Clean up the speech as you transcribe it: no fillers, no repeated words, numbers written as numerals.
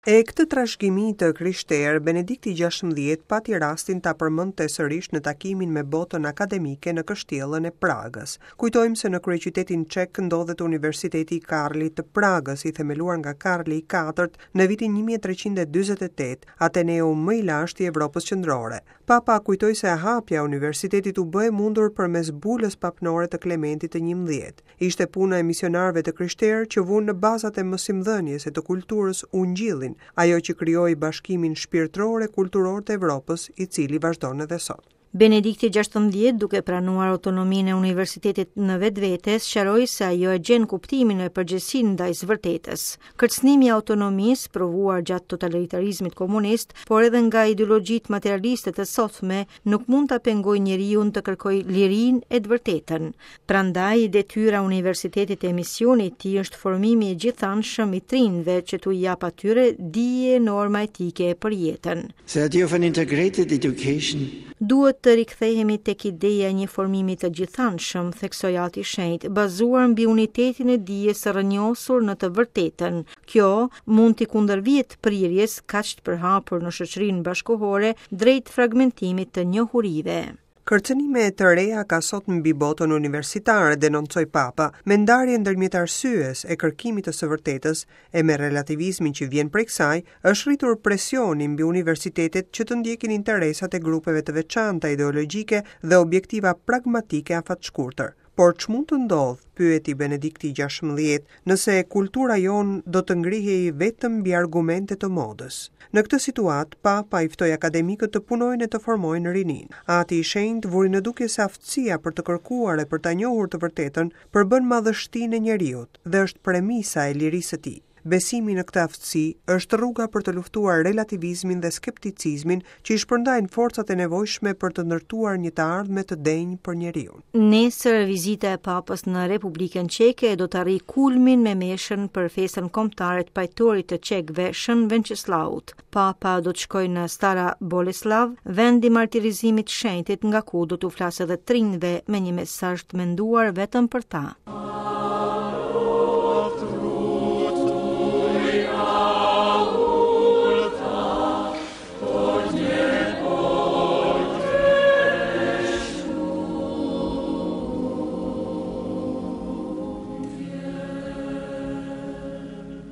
E këtë trashëgimi të krishterë, Benedikti 16 pati rastin ta përmendte sërish në takimin me botën akademike në kështjellën e Pragës. Kujtojmë se në kryeqytetin çek ndodhet Universiteti i Karlit të Pragës, i themeluar nga Karli i IV në vitin 1348, Ateneu më i lashtë i Evropës Qendrore. Papa kujtoi se hapja e universitetit u bë e mundur përmes bulës papnore të Klementit të 11. Ishte puna e misionarëve të krishterë që vunë në bazat e mësimdhënies e të kulturës Ungjillin, ajo që krijoi bashkimin shpirtëror e kulturor të Evropës, i cili vazhdon edhe sot. Benedikti 16, duke pranuar autonominë e universitetit në vetvete, sqaroi se ajo e gjen kuptimin e përgjegjësinë ndaj së vërtetës. Kërcënimi i autonomisë, provuar gjatë totalitarizmit komunist, por edhe nga ideologjitë materialiste të sotme, nuk mund ta pengojë njeriun të kërkojë lirinë e të vërtetën. Prandaj, detyra e universitetit e misioni i tij është formimi i gjithanshëm i të rinjve që t'u japë atyre dije e norma etike për jetën. The idea of an integrated education. Duhet të rikthehemi tek ideja e një formimi të gjithanshëm, theksoi Ati i Shenjtë, bazuar mbi unitetin e dijes së rrënjosur në të vërtetën. Kjo mund t'i kundërvihet prirjes kaq të përhapur në shoqërinë bashkëkohore drejt fragmentimit të njohurive. Kërcënime të reja ka sot mbi botën universitare, denoncoi Papa, me ndarjen ndërmjet arsyes e kërkimit të së vërtetës e me relativizmin që vjen prej kësaj, është rritur presioni mbi universitetet që të ndjekin interesat e grupeve të veçanta ideologjike dhe objektiva pragmatike afatshkurtër. Por ç'mund të ndodhë, pyeti Benedikti 16, nëse kultura jonë do të ngrihej vetëm mbi argumente të modës? Në këtë situatë, Papa i ftoi akademikët të punojnë e të formojnë rininë. Ati i Shenjtë vuri në dukje se aftësia për të kërkuar e për ta njohur të vërtetën përbën madhështinë e njeriut dhe është premisa e lirisë së tij. Besimi në këtë aftësi është rruga për të luftuar relativizmin dhe skepticizmin që i shpërndajnë forcat e nevojshme për të ndërtuar një të ardhme të denjë për njeriun. Nesër vizita e Papës në Republikën Çeke do të arrijë kulmin me meshën për festën kombëtare të pajtorit të çekëve Shën Venceslaut. Papa do të shkojë në Stara Boleslav, vend i martirizimit të shenjtit nga ku do t'u flasë edhe të rinjve me një mesazh të menduar vetëm për ta.